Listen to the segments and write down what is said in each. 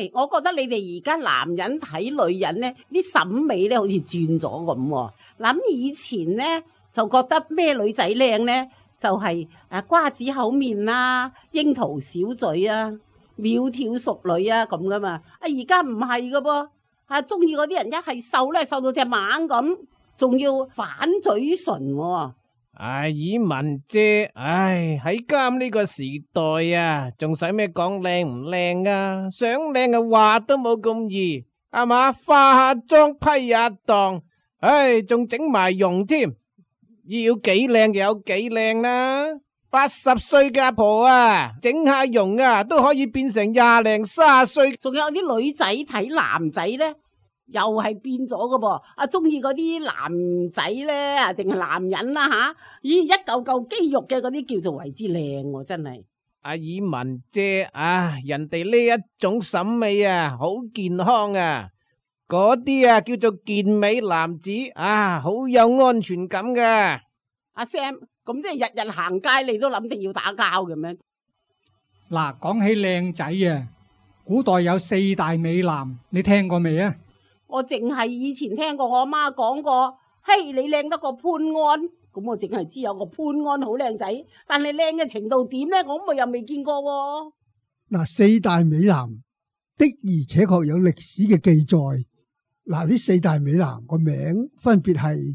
喂，我覺得你哋而家男人睇女人咧，啲審美咧好似轉咗咁。諗以前咧就覺得咩女仔靚咧，就係瓜子口面啦、櫻桃小嘴啊、苗條淑女啊咁噶嘛。而家唔係噶噃，中意嗰啲人一係瘦咧，瘦到隻蜢咁，仲要反嘴唇喎。爾文姐，喺監呢個時代啊，仲使咩講靚唔靚啊？想靚嘅話都冇咁易，係嘛？化下妝批下檔，仲整埋容添，要幾靚就有幾靚啦。80歲嘅阿婆啊，整下容啊，都可以變成20零30歲。仲有啲女仔睇男仔咧，又係變咗噶噃，中意嗰啲男仔咧，定係男人啦吓？咦，一嚿嚿肌肉嘅嗰啲叫做為之靚喎，真係。爾文姐人哋呢一種審美啊，好健康啊，嗰啲啊叫做健美男子好有安全感噶。阿 Sam，咁即係日日行街你都諗定要打交嘅咩？嗱，講起靚仔啊，古代有4大美男，你聽過未啊？我淨係以前聽過我阿媽講過，嘿，你靚得過潘安，咁我淨係知有個潘安好靚仔，但係靚嘅程度點呢？我又未見過喎。嗱，4大美男的而且確有歷史嘅記載。嗱，呢4大美男個名分別係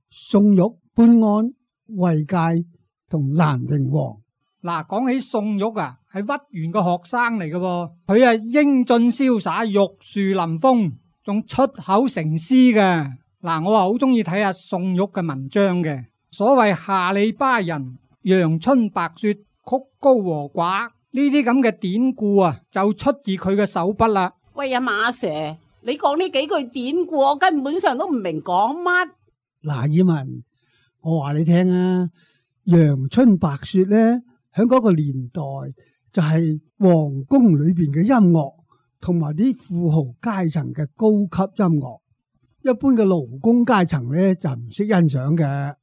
宋玉、潘安、衛介同蘭陵王。嗱，講起宋玉啊，係屈原個學生嚟嘅喎，佢係英俊瀟灑、玉樹臨風，仲出口成詩嘅。嗱，我好中意睇下宋玉嘅文章嘅。所謂下里巴人、陽春白雪、曲高和寡呢啲咁嘅典故啊，就出自佢嘅手筆啦。喂，阿馬 Sir，你講呢幾句典故，我根本上都唔明講乜。嗱，爾文，我話你聽啊，陽春白雪咧，喺嗰個年代就係皇宮裏邊嘅音樂，同埋啲富豪階層嘅高級音樂。一般嘅勞工階層咧就唔識欣賞嘅。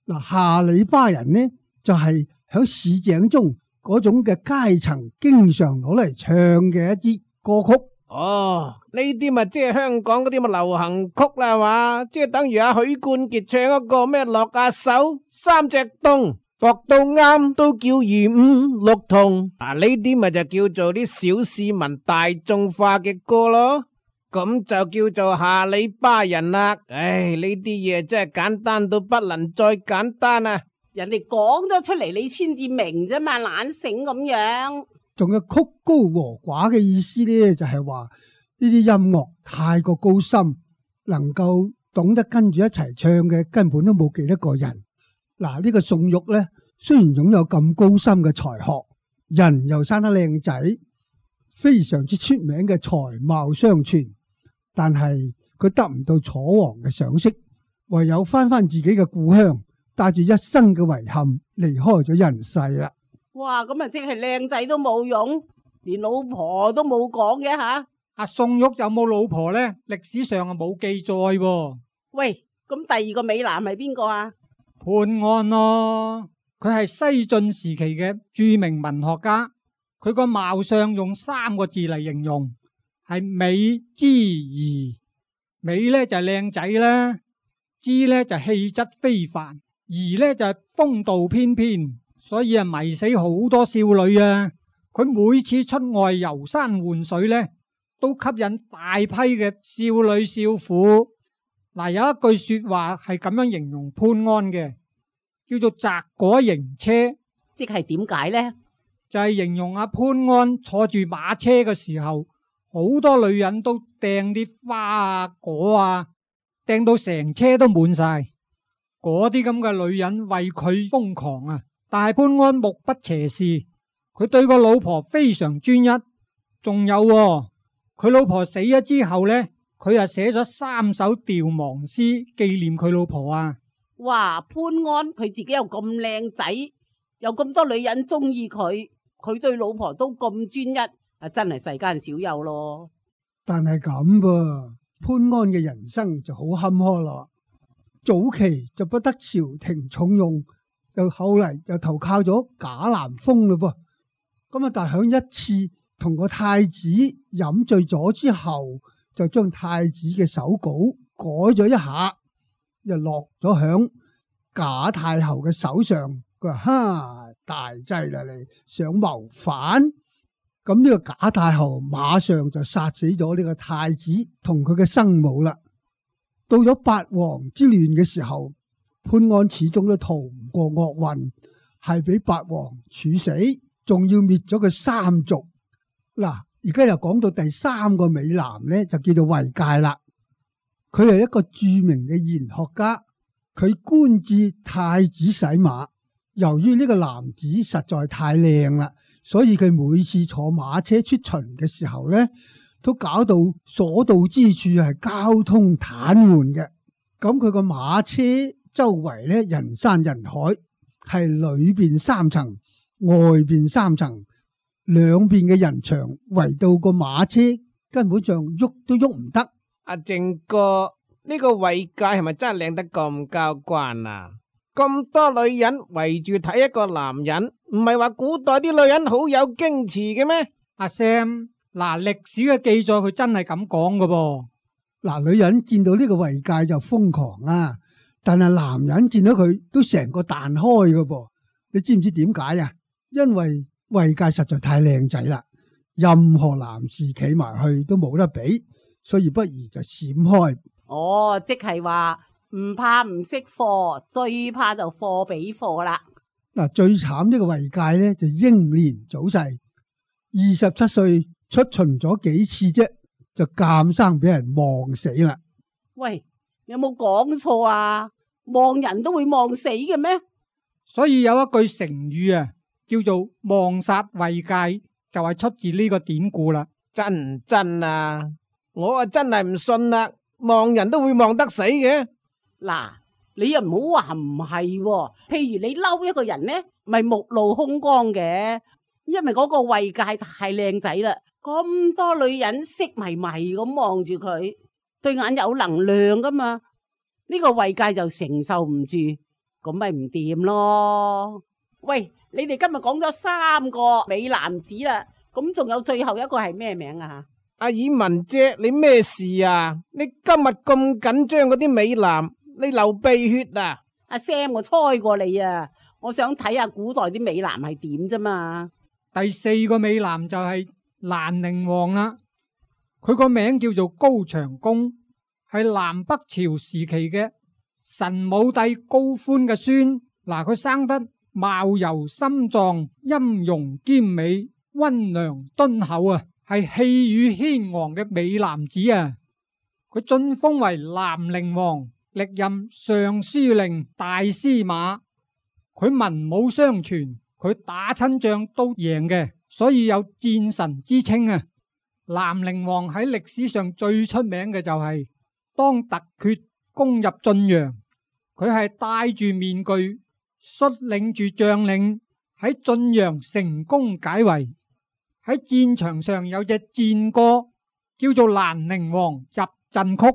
嗱，下里巴人呢就係喺市井中嗰種嘅階層，經常攞嚟唱嘅一支歌曲。呢啲咪即係香港嗰啲咪流行曲啦，係嘛？即係等於阿許冠傑唱嗰個咩落下手三隻洞，度到啱都叫二五六同。呢啲咪就叫做啲小市民大眾化嘅歌咯。咁就叫做下里巴人啦。呢啲嘢真係簡單到不能再簡單啊！人哋講咗出嚟，你先至明啫嘛，懶醒咁樣。仲有曲高和寡嘅意思呢，就係話呢啲音樂太過高深，能夠懂得跟住一齊唱嘅根本都冇幾多個人。嗱，呢個宋玉呢，雖然擁有咁高深嘅才學，人又生得靚仔，非常之出名嘅才貌雙全，但係佢得唔到楚王嘅賞識，唯有翻自己嘅故鄉，帶住一生嘅遺憾離開咗人世啦。哇，咁啊即係靚仔都冇用，連老婆都冇講嘅吓。阿宋玉有冇老婆呢？歷史上啊冇記載喎。喂，咁第二個美男係邊個啊？潘安咯，佢係西晉時期嘅著名文學家，佢個貌相用3個字嚟形容，係美之儀。美呢就係靚仔啦，之呢就氣質非凡，儀呢就係風度翩翩。所以啊，迷死好多少女啊！佢每次出外遊山玩水呢，都吸引大批嘅少女少婦。嗱，有一句說話係咁樣形容潘安嘅，叫做摘果迎車，即係點解呢？就係形容阿潘安坐住馬車嘅時候，好多女人都掟啲花啊果啊，掟到成車都滿晒。嗰啲咁嘅女人為佢瘋狂啊！但係潘安目不斜視，佢對個老婆非常專一。仲有佢老婆死咗之後呢，佢又寫咗3首悼亡詩紀念佢老婆啊！哇，潘安佢自己又咁靚仔，有咁多女人中意佢，佢對老婆都咁專一，真係世間少有咯。但係咁噃，潘安嘅人生就好坎坷啦。早期就不得朝廷重用。又後嚟又投靠咗賈南風嘞噃，咁啊！但係響一次同個太子飲醉咗之後，就將太子嘅手稿改咗一下，又落咗響賈太后嘅手上。佢話：哈，大劑啦，你想謀反？咁呢個賈太后馬上就殺死咗呢個太子同佢嘅生母啦。到咗八王之亂嘅時候，潘安始終都逃唔過厄運，係俾八王處死，仲要滅咗佢三族。嗱，而家又講到第三個美男呢，就叫做衛介啦。佢係一個著名嘅賢學家，佢官至太子洗馬。由於呢個男子實在太靚啦，所以佢每次坐馬車出巡嘅時候呢，都搞到所到之處係交通癱瘓嘅。咁佢個馬車周圍呢，人山人海，係裏邊三層，外邊三層，兩邊嘅人牆圍到個馬車，根本上喐都喐唔得。阿正哥，呢個衛介係咪真係靚得咁交關啊？咁多女人圍住睇一個男人，唔係話古代啲女人好有矜持嘅咩？阿 Sam， 嗱，歷史嘅記載佢真係咁講㗎噃。嗱，女人見到呢個衛介就瘋狂啦，但係男人見到佢都成個彈開㗎噃。你知唔知點解啊？因為衛介實在太靚仔啦，任何男士企埋去都冇得比，所以不如就閃開。哦，即係話唔怕唔識貨，最怕就貨比貨啦。嗱，最慘呢個衛介呢，就英年早逝，27歲出巡咗幾次啫，就監生俾人望死啦。喂，有冇講錯啊？望人都會望死嘅咩？所以有一句成語啊，叫做望殺衛介，就係出自呢個典故啦。真唔真啊？我啊真係唔信啦，望人都會望得死嘅。嗱，你又唔好話唔係喎。譬如你嬲一個人呢，咪目露凶光嘅，因為嗰個衛介太靚仔啦，咁多女人色迷迷咁望住佢，對眼有能量噶嘛，呢個衛介就承受唔住，咁咪唔掂咯。喂，你哋今日講咗3個美男子啦，咁仲有最後一個係咩名啊？阿爾文姐，你咩事啊？你今日咁緊張嗰啲美男，你流鼻血啊？阿 Sam， 我猜過你啊，我想睇下古代啲美男係點啫嘛。第4個美男就係蘭陵王啦，佢個名叫做高長恭，係南北朝時期嘅神武帝高歡嘅孫。嗱，佢生得貌柔心壯，音容兼美，溫良敦厚啊，係氣宇軒昂嘅美男子啊。佢晉封為蘭陵王，歷任尚書令、大司馬。佢文武雙全，佢打親仗都贏嘅，所以有戰神之稱啊。蘭陵王喺歷史上最出名嘅就係當突厥攻入晉陽，佢係戴住面具，率領住將領喺晉陽成功解圍。喺戰場上有隻戰歌叫做《蘭陵王入陣曲》，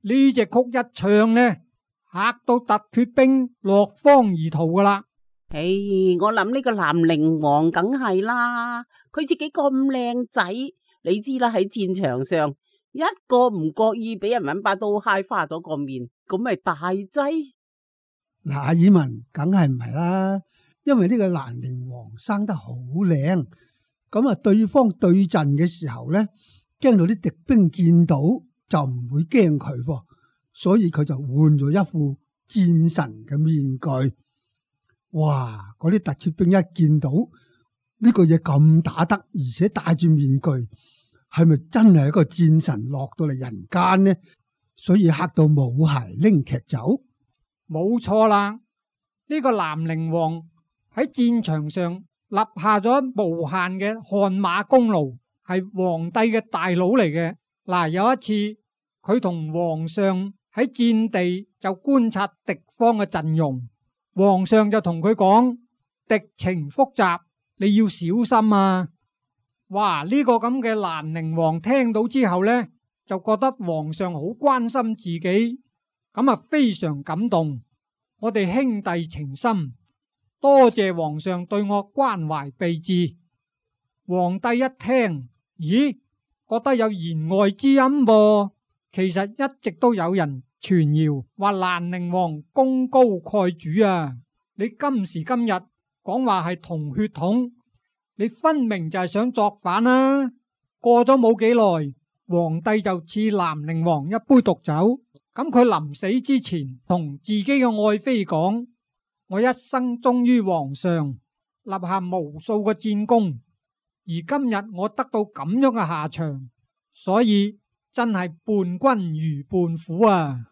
呢隻曲一唱呢，嚇到突厥兵落荒而逃噶啦。我諗呢個蘭陵王梗係啦，佢自己咁靚仔，你知啦，喺戰場上一個唔覺意俾人搵把刀揩花咗個面，咁咪大劑。嗱，阿爾文梗係唔係啦，因為呢個蘭陵王生得好靚，咁啊對方對陣嘅時候呢，驚到啲敵兵見到就唔會驚佢噃，所以佢就換咗一副戰神嘅面具。哇！嗰啲突厥兵一見到呢個嘢咁打得，而且戴住面具，係咪真係一個戰神落到嚟人間呢？所以嚇到冇鞋拎劇走。冇錯啦，呢個蘭陵王喺戰場上立下咗無限嘅汗馬功勞，係皇帝嘅大佬嚟嘅。嗱，有一次佢同皇上喺戰地就觀察敵方嘅陣容。皇上就同佢講，敵情複雜，你要小心啊！哇！呢個咁嘅蘭陵王聽到之後呢，就覺得皇上好關心自己，咁啊非常感動。我哋兄弟情深，多謝皇上對我關懷備至。皇帝一聽，咦，覺得有言外之音噃。其實一直都有人傳謠話蘭陵王功高蓋主啊！你今時今日講話係同血統，你分明就係想作反啦！過咗冇幾耐，皇帝就賜蘭陵王一杯毒酒。咁佢臨死之前同自己嘅愛妃講：我一生忠於皇上，立下無數嘅戰功，而今日我得到咁樣嘅下場，所以真係伴君如伴虎啊！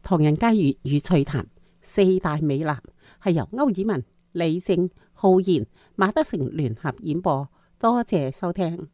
唐人街粵語趣談四大美男係由歐爾文、李勝、浩然、馬德成聯合演播，多謝收聽。